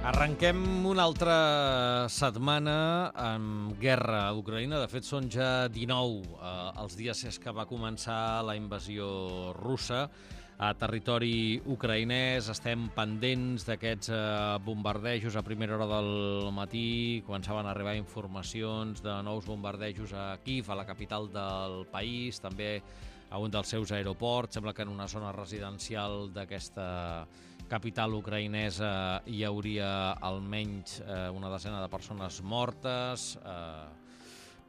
Arrenquem una altra setmana amb guerra a Ucraïna. De fet, són ja 19 els dies des que va començar la invasió russa a territori ucraïnès. Estem pendents d'aquests bombardejos a primera hora del matí. Començaven a arribar informacions de nous bombardejos a Kíev, a la capital del país, també a un dels seus aeroports. Sembla que en una zona residencial d'aquesta capital ucraïnesa hi hauria almenys una desena de persones mortes,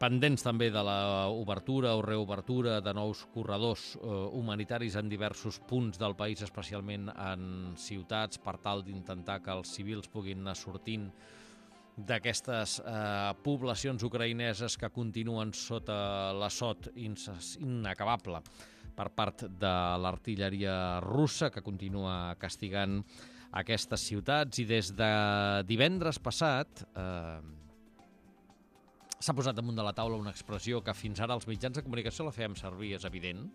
pendents també de l'obertura o reobertura de nous corredors humanitaris en diversos punts del país, especialment en ciutats, per tal d'intentar que els civils puguin anar sortint d'aquestes poblacions ucraïneses que continuen sota l'assot inacabable per part de l'artilleria russa, que continua castigant aquestes ciutats. I des de divendres passat s'ha posat damunt de la taula una expressió que fins ara els mitjans de comunicació la fèiem servir, és evident,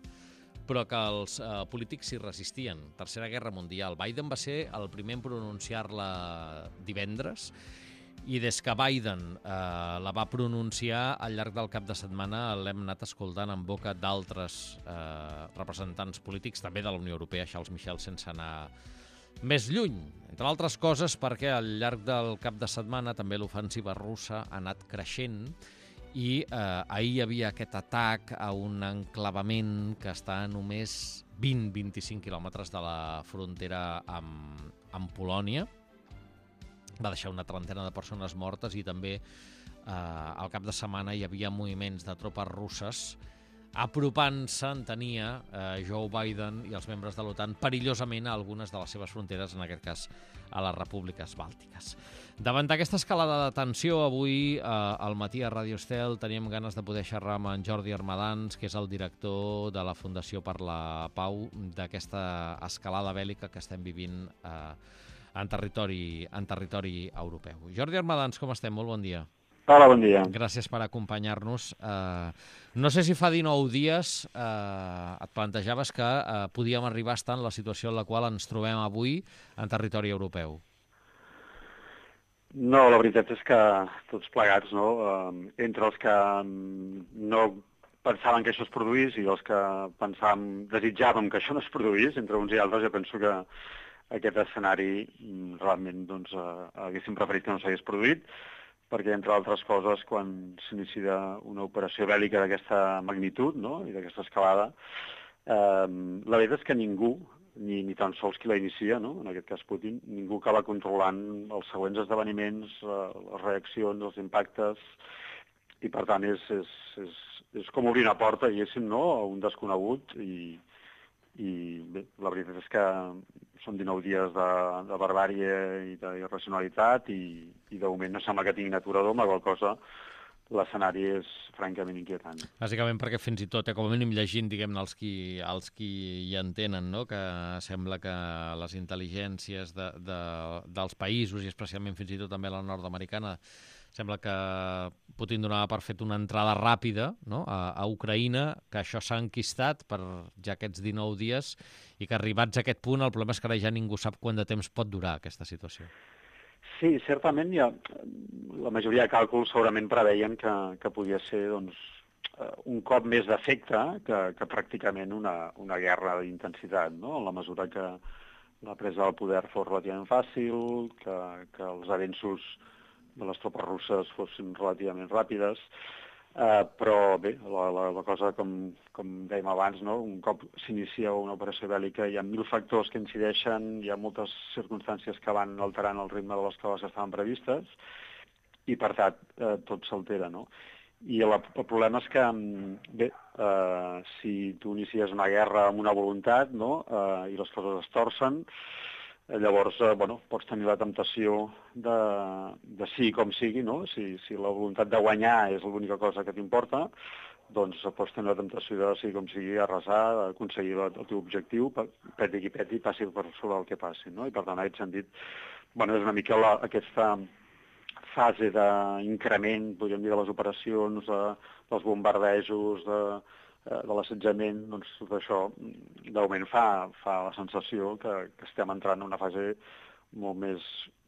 però que els polítics s'hi resistien. Tercera Guerra Mundial. Biden va ser el primer en pronunciar-la divendres, i des que Biden la va pronunciar, al llarg del cap de setmana l'hem anat escoltant en boca d'altres representants polítics, també de la Unió Europea, Charles Michel, sense anar més lluny. Entre altres coses perquè al llarg del cap de setmana també l'ofensiva russa ha anat creixent i ahir hi havia aquest atac a un enclavament que està a només 20-25 quilòmetres de la frontera amb Polònia. Va deixar una trentena de persones mortes i també al cap de setmana hi havia moviments de tropes russes apropant-se, entenia Joe Biden i els membres de l'OTAN, perillosament a algunes de les seves fronteres, en aquest cas a les repúbliques bàltiques. Davant d'aquesta escalada de tensió, avui al matí a Radio Estel teníem ganes de poder xerrar amb en Jordi Armadans, que és el director de la Fundació per la Pau, d'aquesta escalada bèl·lica que estem vivint en territori europeu. Jordi Armadans, com estem? Molt bon dia. Hola, bon dia. Gràcies per acompanyar-nos. No sé si fa 19 dies et plantejaves que podíem arribar a estar en la situació en la qual ens trobem avui en territori europeu. No, la veritat és que tots plegats, no? Entre els que no pensaven que això es produís i els que desitjàvem que això no es produís, entre uns i altres, jo penso que aquest escenari realment haguéssim preferit que no s'hagués produït, perquè, entre altres coses, quan s'inicia una operació bèl·lica d'aquesta magnitud, no?, i d'aquesta escalada, la veritat és que ningú, ni tan sols qui la inicia, no?, en aquest cas Putin, ningú acaba controlant els següents esdeveniments, les reaccions, els impactes, i per tant és com obrir una porta, diguéssim, no?, a un desconegut, i bé, la veritat és que són 19 dies de barbàrie i d'irracionalitat i de moment no sembla que tinguin aturador, amb la qual cosa l'escenari és francament inquietant. Bàsicament perquè fins i tot, com a mínim llegint, diguem-ne, els qui hi entenen, no?, que sembla que les intel·ligències dels països, i especialment fins i tot també la nord-americana, sembla que Putin donava per fet una entrada ràpida, no?, a Ucraïna, que això s'ha enquistat per ja aquests 19 dies i que arribats a aquest punt el problema és que ara ja ningú sap quant de temps pot durar aquesta situació. Sí, certament la majoria de càlculs segurament preveien que podia ser un cop més d'efecte que pràcticament una guerra d'intensitat, no?, en la mesura que la presa del poder fos relativament fàcil, que els avenços de les tropes russes fossin relativament ràpides, però bé, la cosa, com dèiem abans, no?, un cop s'inicia una operació bèl·lica hi ha 1000 factors que incideixen, hi ha moltes circumstàncies que van alterant el ritme de les coses que estaven previstes i per tant tot s'altera, no? I el problema és que, bé, si tu inicies una guerra amb una voluntat, no?, i les coses es torcen, llavors, pots tenir la temptació de sigui com sigui, no? Si la voluntat de guanyar és l'única cosa que t'importa, doncs pots tenir la temptació de sigui com sigui arrasar, d'aconseguir el teu objectiu, peti qui peti, passi per sobre el que passi, no? I per tant, en aquest sentit, és una mica aquesta fase d'increment, podríem dir, de les operacions, dels bombardejos, de l'assetjament, doncs tot això de moment fa la sensació que estem entrant en una fase molt més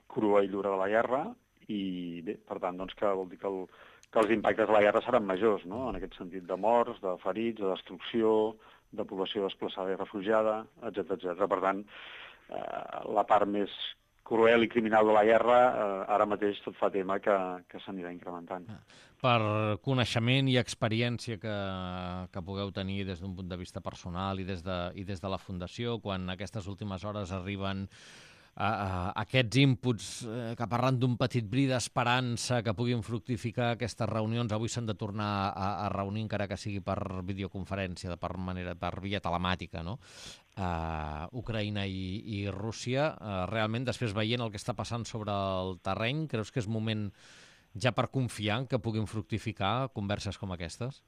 crua i dura de la guerra, i bé, per tant, doncs, que vol dir que els impactes de la guerra seran majors, no? En aquest sentit, de morts, de ferits, de destrucció, de població desplaçada i refugiada, etc. Per tant, la part més cruel i criminal de la guerra, ara mateix tot fa tema que s'anirà incrementant. Per coneixement i experiència que pugueu tenir des d'un punt de vista personal i des de la Fundació, quan aquestes últimes hores arriben aquests inputs que parlen d'un petit bri d'esperança que puguin fructificar aquestes reunions, avui s'han de tornar a reunir encara que sigui per videoconferència, per via telemàtica, no? Ucraïna i Rússia. Realment, després veient el que està passant sobre el terreny, creus que és moment ja per confiar en que puguin fructificar converses com aquestes?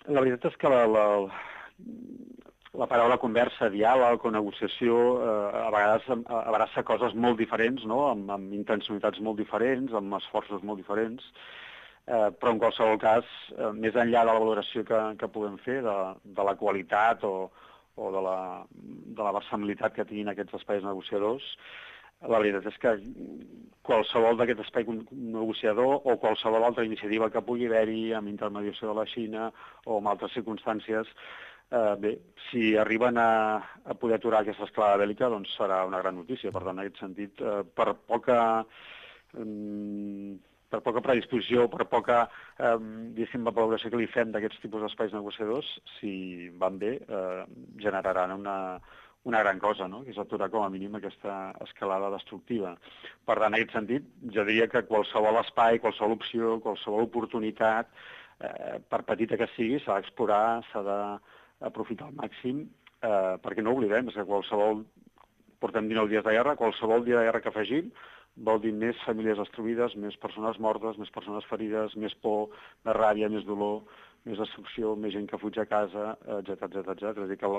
La veritat és que la paraula conversa, diàleg o negociació a vegades abraça coses molt diferents, no? Amb intencionalitats molt diferents, amb esforços molt diferents, però en qualsevol cas, més enllà de la valoració que puguem fer de la qualitat o de la versemblança que tinguin aquests espais negociadors, la veritat és que qualsevol d'aquest espai negociador o qualsevol altra iniciativa que pugui haver-hi amb intermediació de la Xina o en altres circumstàncies, bé, si arriben a poder aturar aquesta escalada bèl·lica, doncs serà una gran notícia. Per tant, en aquest sentit, per poca predisposició, per poca, diguéssim, valoració que li fem d'aquests tipus d'espais negociadors, si van bé, generaran una gran cosa, no? Que és aturar com a mínim aquesta escalada destructiva. Per tant, en aquest sentit, jo diria que qualsevol espai, qualsevol opció, qualsevol oportunitat, per petita que sigui, s'ha d'explorar, s'ha d'aprofitar al màxim, perquè no oblidem, és que portem 19 dies de guerra, qualsevol dia de guerra que afegim vol dir més famílies destruïdes, més persones mortes, més persones ferides, més por, més ràbia, més dolor, més destrucció, més gent que fuig a casa, etc. És a dir, que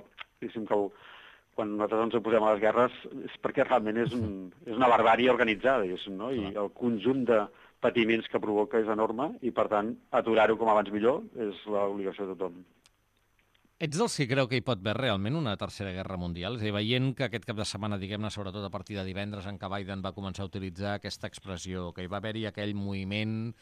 quan nosaltres ens oposem a les guerres és perquè realment és una barbàrie organitzada, no? I el conjunt de patiments que provoca és enorme i, per tant, aturar-ho com abans millor és l'obligació de tothom. Ets dels que creu que hi pot haver realment una tercera guerra mundial? És a dir, veient que aquest cap de setmana, diguem-ne, sobretot a partir de divendres, en què Biden va començar a utilitzar aquesta expressió, que hi va haver-hi aquell moviment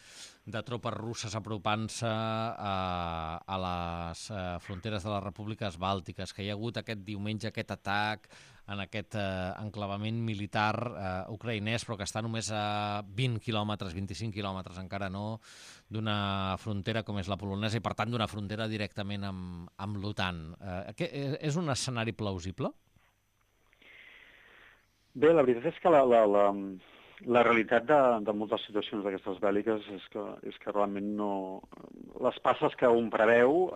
de tropes russes apropant-se a les fronteres de les repúbliques bàltiques, que hi ha hagut aquest diumenge aquest atac en aquest enclavament militar ucraïnès, però que està només a 20 quilòmetres, 25 quilòmetres, encara no, d'una frontera com és la polonesa i, per tant, d'una frontera directament amb l'OTAN. És un escenari plausible? Bé, la veritat és que la realitat de moltes situacions d'aquestes bèl·liques és que realment no... Les passes que un preveu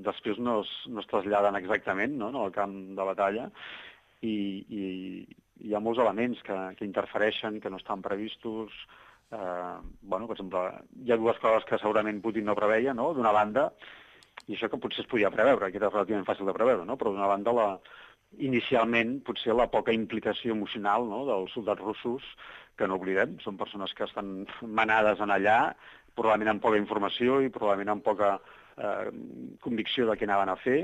després no es traslladen exactament, no, en el camp de batalla, i hi ha molts elements que interfereixen, que no estan previstos. Per exemple, hi ha dues coses que segurament Putin no preveia, no? D'una banda, i això que potser es podia preveure, que era relativament fàcil de preveure, no? Però d'una banda, inicialment, potser la poca implicació emocional, no?, dels soldats russos, que no oblidem, són persones que estan manades en allà, probablement amb poca informació i probablement amb poca convicció de què anaven a fer,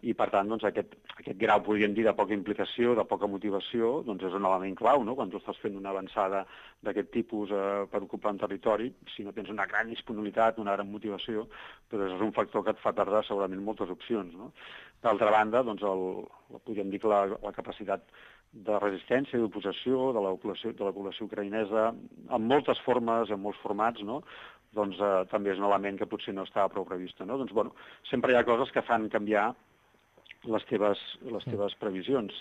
i per tant doncs, aquest grau, podríem dir, de poca implicació, de poca motivació, doncs és un element clau, no? Quan tu estàs fent una avançada d'aquest tipus per ocupar un territori, si no tens una gran disponibilitat, una gran motivació, doncs és un factor que et fa perdre segurament moltes opcions, no? D'altra banda, doncs podríem dir que la capacitat de resistència i d'oposició de la població ucraïnesa en moltes formes, en molts formats, no?, doncs també és un element que potser no estava prou prevista, no? Doncs, sempre hi ha coses que fan canviar les teves previsions.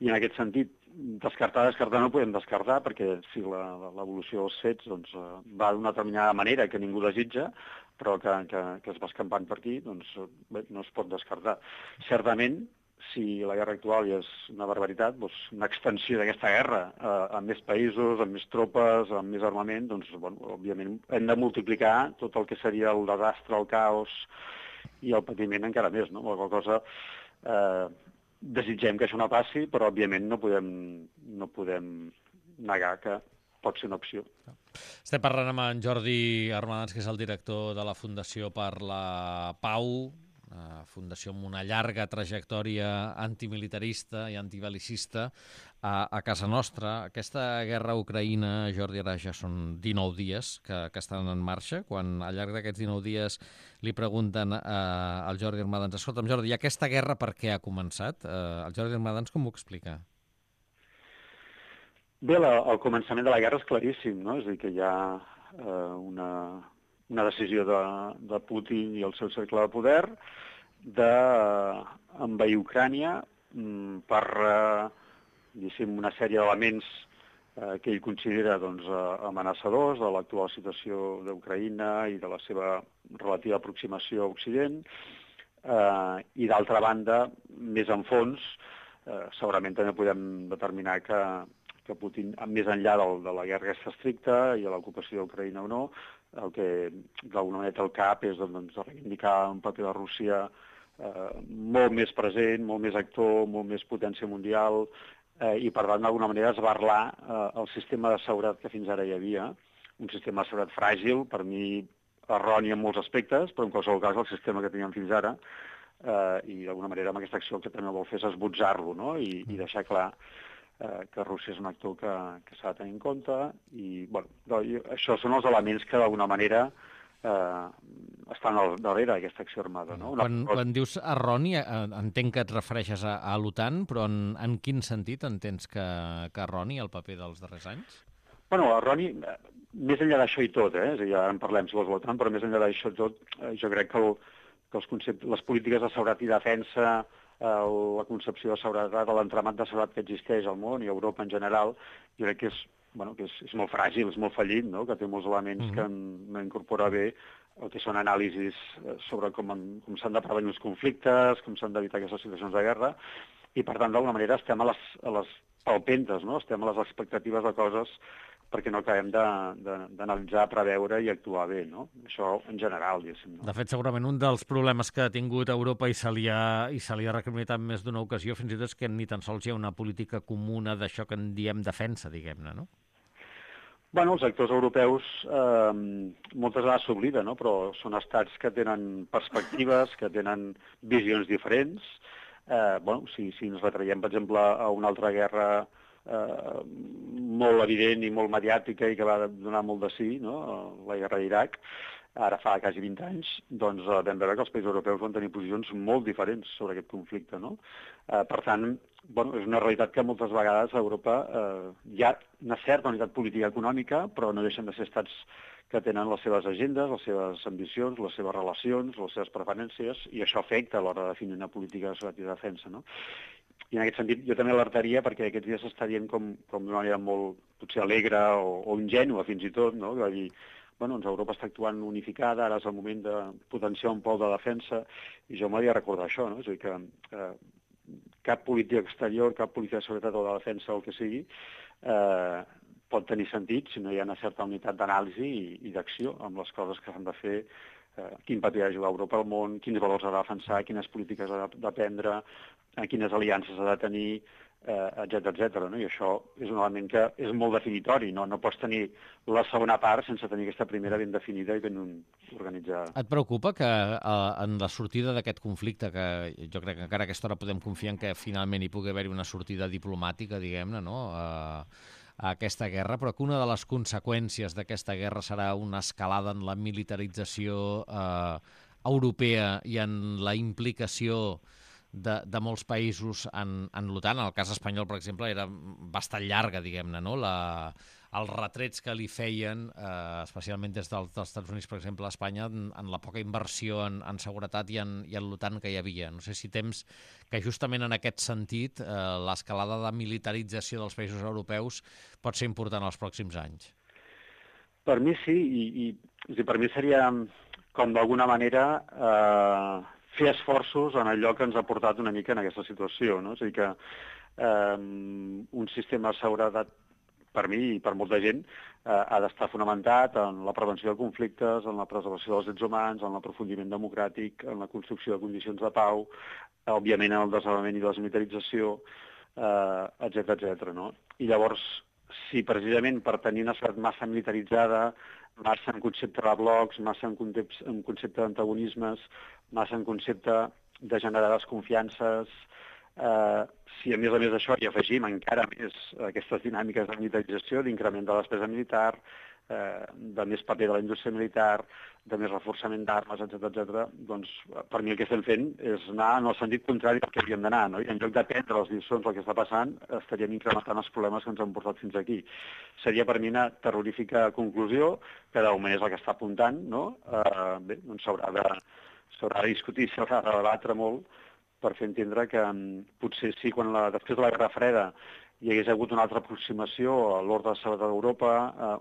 I en aquest sentit, descartar no podem descartar, perquè si l'evolució dels fets doncs, va d'una determinada manera que ningú desitja, però que es va escampant per aquí, doncs bé, no es pot descartar. Certament, si la guerra actual ja és una barbaritat, doncs una extensió d'aquesta guerra amb més països, amb més tropes, amb més armament, doncs, òbviament, hem de multiplicar tot el que seria el desastre, el caos i el patiment encara més, no? Qualque cosa desitgem que això no passi, però, òbviament, no podem negar que pot ser una opció. Estem parlant amb en Jordi Armadans, que és el director de la Fundació per la Pau, fundació amb una llarga trajectòria antimilitarista i antibel·licista. a casa nostra. Aquesta guerra a Ucraïna, Jordi, ara ja són 19 dies que estan en marxa. Quan al llarg d'aquests 19 dies li pregunten al Jordi Armadans, escolta'm, Jordi, i aquesta guerra per què ha començat? El Jordi Armadans com ho explica? Bé, el començament de la guerra és claríssim, no? És a dir, que hi ha una decisió de Putin i el seu cercle de poder d'envair Ucrània per una sèrie d'elements que ell considera amenaçadors de l'actual situació d'Ucraïna i de la seva relativa aproximació a Occident. I d'altra banda, més en fons, segurament també podem determinar que Putin, més enllà de la guerra aquesta estricta i de l'ocupació d'Ucraïna o no, el que d'alguna manera té al cap és reivindicar un paper de Rússia molt més present, molt més actor, molt més potència mundial, i per tant d'alguna manera esbarlar el sistema de seguretat que fins ara hi havia, un sistema de seguretat fràgil, per mi erroni en molts aspectes, però en qualsevol cas el sistema que teníem fins ara, i d'alguna manera amb aquesta acció el que també vol fer és esbotzar-lo, no? I deixar clar que Rússia és un actor que s'ha de tenir en compte, i això són els elements que d'alguna manera estan darrere d'aquesta acció armada. No? Quan dius erroni, entenc que et refereixes a l'OTAN, però en quin sentit entens que erroni el paper dels darrers anys? Bueno, erroni, més enllà d'això i tot, és a dir, ara en parlem si vols de l'OTAN, però més enllà d'això i tot, jo crec que les polítiques de seguretat i defensa, la concepció de seguretat, l'entramat de seguretat que existeix al món i a Europa en general, jo crec que és molt fràgil, és molt fallit, no? Que té molts elements que no incorpora bé el que són anàlisis sobre com s'han de prevenir els conflictes, com s'han d'evitar aquestes situacions de guerra, i per tant, d'alguna manera, estem a les palpentes, no? Estem a les expectatives de coses perquè no acabem d'analitzar, preveure i actuar bé, no? Això en general, diguéssim. No? De fet, segurament un dels problemes que ha tingut Europa i se li ha recriminat en més d'una ocasió, fins i tot és que ni tan sols hi ha una política comuna d'això que en diem defensa, diguem-ne, no? Bueno, els actors europeus moltes vegades s'oblida, no? Però són estats que tenen perspectives, que tenen visions diferents. Si ens retraiem, per exemple, a una altra guerra molt evident i molt mediàtica i que va donar molt de sí, no? La guerra d'Iraq, ara fa quasi 20 anys, doncs vam veure que els països europeus van tenir posicions molt diferents sobre aquest conflicte, no? Per tant, és una realitat que moltes vegades a Europa hi ha una certa unitat política econòmica, però no deixen de ser estats que tenen les seves agendes, les seves ambicions, les seves relacions, les seves preferències, i això afecta a l'hora de definir una política de seguretat i defensa, no? I en aquest sentit jo també alertaria perquè aquests dies s'està dient com d'una manera molt potser alegre o ingènua fins i tot, no? Va dir, Europa està actuant unificada, ara és el moment de potenciar un pol de defensa, i jo m'hauria de recordar això, no? És a dir, que cap política exterior, cap política de seguretat o de defensa o el que sigui, pot tenir sentit si no hi ha una certa unitat d'anàlisi i d'acció amb les coses que s'han de fer, quin paper ha de jugar Europa al món, quins valors ha de defensar, quines polítiques ha de prendre, quines aliances ha de tenir, etcètera, no? I això és un element que és molt definitori, no pots tenir la segona part sense tenir aquesta primera ben definida i ben organitzada. Et preocupa que en la sortida d'aquest conflicte, que jo crec que encara a aquesta hora podem confiar en que finalment hi pugui haver-hi una sortida diplomàtica, diguem-ne, no?, a aquesta guerra, però que una de les conseqüències d'aquesta guerra serà una escalada en la militarització europea i en la implicació de molts països en l'OTAN. En el cas espanyol, per exemple, era bastant llarga, diguem-ne, no?, els retrets que li feien, especialment des dels Estats Units, per exemple, a Espanya, en la poca inversió en seguretat i en l'OTAN que hi havia. No sé si temps que justament en aquest sentit l'escalada de militarització dels països europeus pot ser important els pròxims anys. Per mi sí, i per mi seria com d'alguna manera fer esforços en allò que ens ha portat una mica en aquesta situació, no? És a dir, que un sistema de seguretat, per mi i per molta gent, ha d'estar fonamentat en la prevenció de conflictes, en la preservació dels drets humans, en l'aprofundiment democràtic, en la construcció de condicions de pau, òbviament en el desarmament i desmilitarització, etcètera, no? I llavors, si precisament per tenir una societat massa militaritzada, massa en concepte de blocs, massa en concepte d'antagonismes, massa en concepte de generar desconfiances, Si a més d'això hi afegim encara més aquestes dinàmiques de militarització, d'increment de la despesa militar, de més paper de la indústria militar, de més reforçament d'armes, etc., doncs per mi el que estem fent és anar en el sentit contrari del que havíem d'anar, no? I en lloc d'aprendre les lliçons del que està passant, estaríem incrementant els problemes que ens han portat fins aquí. Seria per mi una terrorífica conclusió, que de moment és la que està apuntant, no? Bé, doncs s'haurà de discutir, s'haurà de debatre molt per fer entendre que potser sí, després de la Guerra Freda hi hagués hagut una altra aproximació a l'ordre de seguretat d'Europa,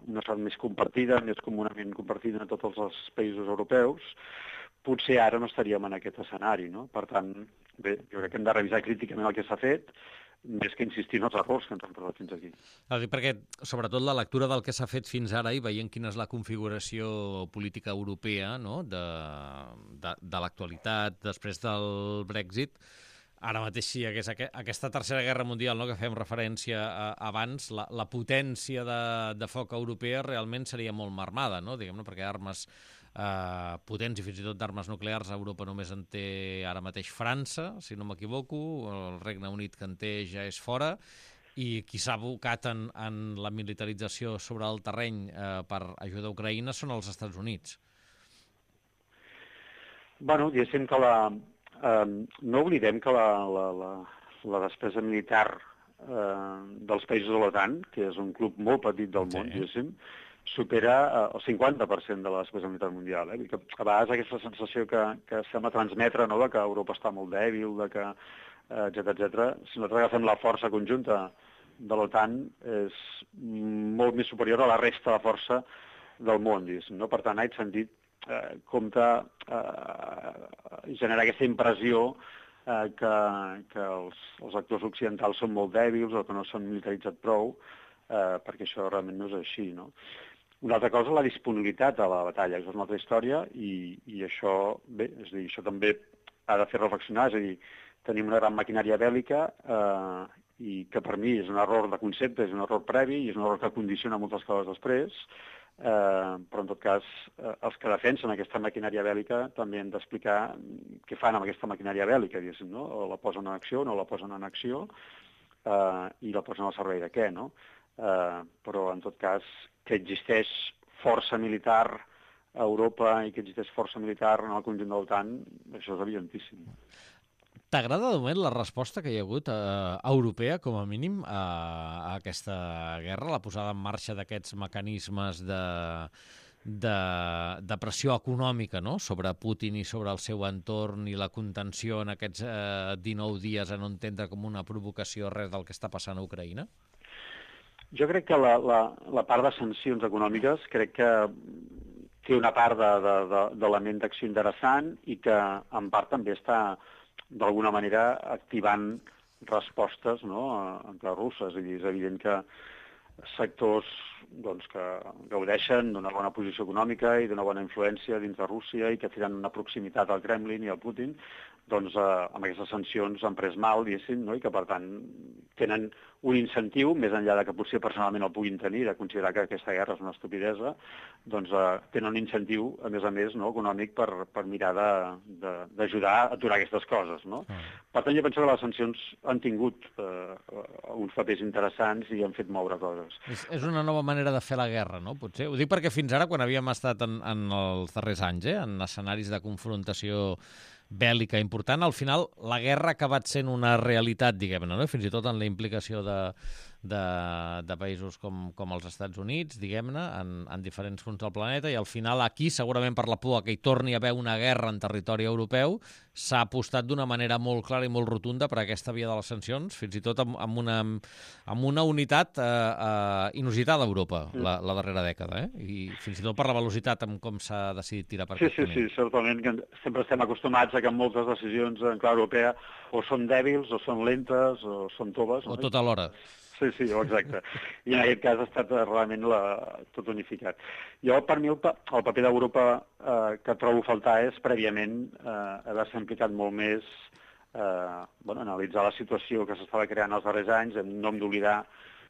una sort més compartida, més comunament compartida en tots els països europeus, potser ara no estaríem en aquest escenari, no? Per tant, bé, jo crec que hem de revisar críticament el que s'ha fet, més que insistir en els errors que ens han portat fins aquí. Perquè, sobretot, la lectura del que s'ha fet fins ara i veient quina és la configuració política europea, no?, de l'actualitat després del Brexit, ara mateix sí, aquesta tercera guerra mundial, no?, que fem referència abans, la potència de foc europea realment seria molt marmada, no?, diguem-ne, perquè armes potents i fins i tot d'armes nuclears a Europa només en té ara mateix França, si no m'equivoco, el Regne Unit que en té ja és fora, i qui s'ha abocat en la militarització sobre el terreny per ajudar a Ucraïna són els Estats Units. Bueno, diguéssim que no oblidem que la despesa militar dels països de l'OTAN, que és un club molt petit del món, diguéssim, supera el 50% de la despesa militar mundial. Que a vegades aquesta sensació que sembla transmetre, no?, de que Europa està molt dèbil, de que etc. Si nosaltres agafem la força conjunta de l'OTAN, és molt més superior a la resta de força del món, diguéssim, no? Per tant, en aquest sentit, compta generar aquesta impressió que els actors occidentals són molt dèbils o que no s'han militaritzat prou, perquè això realment no és així, no? Una altra cosa, la disponibilitat a la batalla, això és una altra història, i això, bé, és a dir, això també ha de fer reflexionar, és a dir, tenim una gran maquinària bèl·lica i que per mi és un error de concepte, és un error previ i és un error que condiciona moltes coses després, però en tot cas els que defensen aquesta maquinària bèl·lica també han d'explicar què fan amb aquesta maquinària bèl·lica, diguéssim, no? O la posen en acció o no la posen en acció i la posen al servei de què, no? Però en tot cas que existeix força militar a Europa i que existeix força militar en el conjunt de l'OTAN, això és evidentíssim. T'agrada de moment la resposta que hi ha hagut europea, com a mínim, a aquesta guerra, la posada en marxa d'aquests mecanismes de pressió econòmica, no?, sobre Putin i sobre el seu entorn i la contenció en aquests 19 dies a no entendre com una provocació res del que està passant a Ucraïna? Jo crec que la part de sancions econòmiques crec que té una part d'element d'acció interessant i que en part també està d'alguna manera activant respostes, no?, antirusses. És evident que sectors doncs, que gaudeixen d'una bona posició econòmica i d'una bona influència dins de Rússia i que tenen una proximitat al Kremlin i al Putin, doncs amb aquestes sancions han pres mal, diguéssim, no?, i que per tant tenen un incentiu, més enllà que potser personalment el puguin tenir, de considerar que aquesta guerra és una estupidesa, doncs tenen un incentiu, a més, no?, econòmic per mirar d'ajudar a aturar aquestes coses, no? Per tant, jo penso que les sancions han tingut uns papers interessants i han fet moure coses. És una nova manera de fer la guerra, no?, potser? Ho dic perquè fins ara, quan havíem estat en els darrers anys, en escenaris de confrontació bèl·lica important, al final la guerra ha acabat sent una realitat, diguem-ne, no?, fins i tot en la implicació de països com els Estats Units, diguem-ne, en diferents punts del planeta, i al final aquí, segurament per la por que hi torni a haver una guerra en territori europeu, s'ha apostat d'una manera molt clara i molt rotunda per aquesta via de les sancions, fins i tot amb una unitat inusitada a Europa la darrera dècada, i fins i tot per la velocitat amb com s'ha decidit tirar per aquest camí. Sí, certament, que sempre estem acostumats a que moltes decisions en clau europea o són dèbils, o són lentes, o són toves. O tot alhora. Sí, exacte. I en aquest cas ha estat realment tot unificat. Jo, per mi, el paper d'Europa que trobo a faltar és, prèviament, haver-se implicat molt més, analitzar la situació que s'estava creant els darrers anys, no hem d'oblidar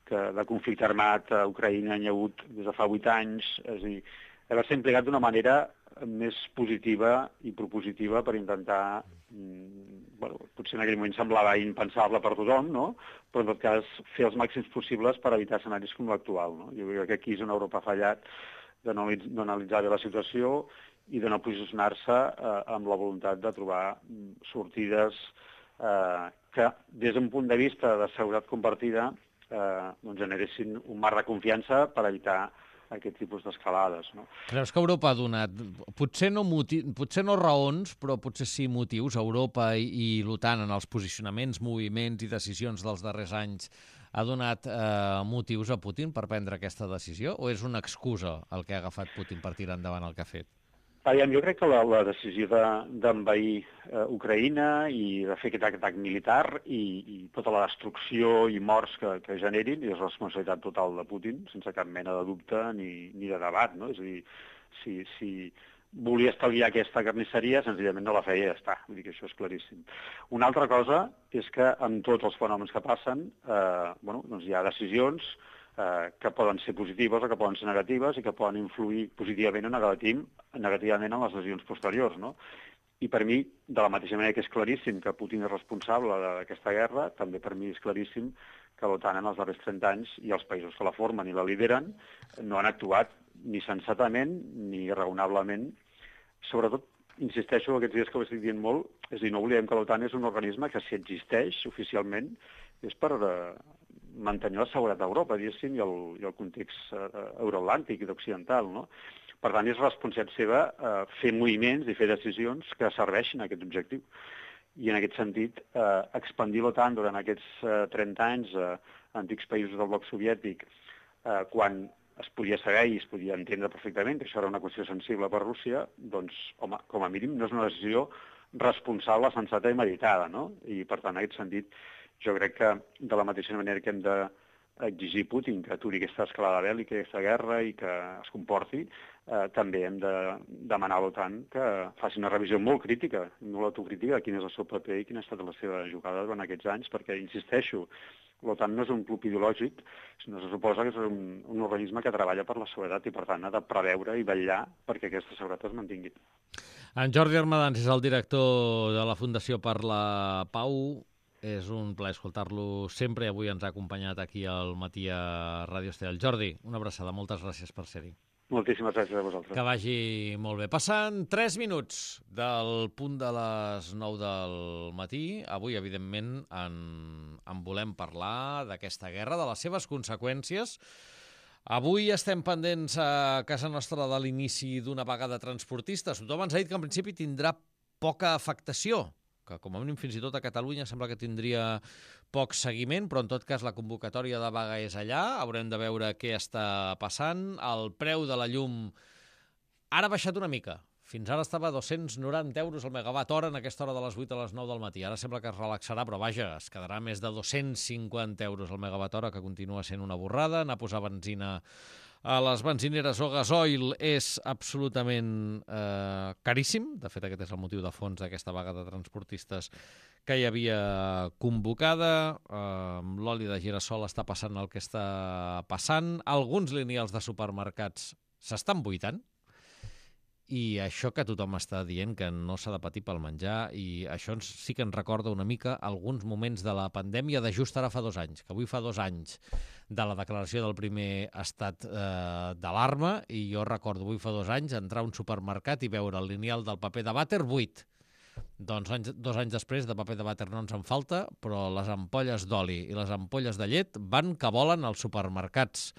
que de conflicte armat a Ucraïna n'hi ha hagut des de fa 8 anys, és a dir, haver-se implicat d'una manera més positiva i propositiva per intentar potser en aquell moment semblava impensable per tothom, no? Però en tot cas fer els màxims possibles per evitar escenaris com l'actual. No? Jo crec que aquí és on Europa ha fallat, de no analitzar bé la situació i de no posicionar-se amb la voluntat de trobar sortides que, des d'un punt de vista de seguretat compartida, doncs generessin un marc de confiança per evitar aquest tipus d'escalades. No? Creus que Europa ha donat, potser no raons, però potser sí motius, Europa i l'OTAN en els posicionaments, moviments i decisions dels darrers anys, ha donat motius a Putin per prendre aquesta decisió, o és una excusa el que ha agafat Putin per tirar endavant el que ha fet? Jo crec que la decisió d'envair Ucraïna i de fer aquest atac militar i tota la destrucció i morts que generin és responsabilitat total de Putin, sense cap mena de dubte ni de debat. No? És a dir, si volia estalviar aquesta carnisseria, senzillament no la feia i ja està. Vull dir que això és claríssim. Una altra cosa és que amb tots els fenòmens que passen doncs hi ha decisions que poden ser positives o que poden ser negatives i que poden influir positivament o negativament en les decisions posteriors. No? I per mi, de la mateixa manera que és claríssim que Putin és responsable d'aquesta guerra, també per mi és claríssim que l'OTAN en els darrers 30 anys i els països que la formen i la lideren no han actuat ni sensatament ni raonablement. Sobretot, insisteixo, aquests dies que ho estic dient molt, és a dir, no oblidem que l'OTAN és un organisme que, si existeix oficialment, és per mantenir la seguretat d'Europa, diguéssim, i el context euroatlàntic i occidental, no? Per tant, és responsabilitat seva fer moviments i fer decisions que serveixin a aquest objectiu. I en aquest sentit, expandir l'OTAN durant aquests 30 anys a antics països del bloc soviètic, quan es podia saber i es podia entendre perfectament que això era una qüestió sensible per Rússia, doncs, home, com a mínim no és una decisió responsable, sensata i meditada, no? I, per tant, en aquest sentit, jo crec que de la mateixa manera que hem d'exigir Putin que aturi aquesta escalada bèl·lica, aquesta guerra i que es comporti, també hem de demanar a l'OTAN que faci una revisió molt crítica, molt autocrítica de quin és el seu paper i quina ha estat la seva jugada durant aquests anys, perquè, insisteixo, l'OTAN no és un club ideològic, sinó se suposa que és un organisme que treballa per la seguretat i, per tant, ha de preveure i vetllar perquè aquesta seguretat es mantingui. En Jordi Armadans és el director de la Fundació per la Pau. És un plaer escoltar-lo sempre i avui ens ha acompanyat aquí al matí a Ràdio Estel. Jordi, una abraçada, moltes gràcies per ser-hi. Moltíssimes gràcies a vosaltres. Que vagi molt bé. Passant 3 minuts del punt de les 9 del matí. Avui, evidentment, en volem parlar d'aquesta guerra, de les seves conseqüències. Avui estem pendents a casa nostra de l'inici d'una vaga de transportistes. Tothom ens ha dit que en principi tindrà poca afectació, que com a mínim fins i tot a Catalunya sembla que tindria poc seguiment, però en tot cas la convocatòria de vaga és allà, haurem de veure què està passant. El preu de la llum ara ha baixat una mica, fins ara estava a 290 euros el megawatt hora en aquesta hora de les 8 a les 9 del matí, ara sembla que es relaxarà, però vaja, es quedarà més de 250 euros el megawatt hora, que continua sent una borrada. Anar a posar benzina a les benzineres o gasoil és absolutament caríssim. De fet, aquest és el motiu de fons d'aquesta vaga de transportistes que hi havia convocada. L'oli de girassol està passant el que està passant. Alguns lineals de supermercats s'estan buidant. I això que tothom està dient que no s'ha de patir pel menjar, i això sí que ens recorda una mica alguns moments de la pandèmia de just ara fa 2 anys, que avui fa 2 anys de la declaració del primer estat d'alarma, i jo recordo avui fa 2 anys entrar a un supermercat i veure el lineal del paper de vàter buit. Doncs 2 anys després de paper de vàter no ens en falta, però les ampolles d'oli i les ampolles de llet van que volen als supermercats.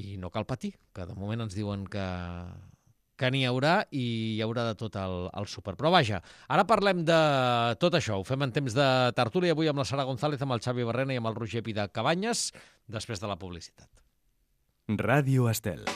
I no cal patir, que de moment ens diuen que n'hi haurà i hi haurà de tot al súper. Però vaja, ara parlem de tot això. Ho fem en temps de tertúlia avui amb la Sara González, amb el Xavi Barrena i amb el Roger Pida Cabanyes, després de la publicitat. Ràdio Estel.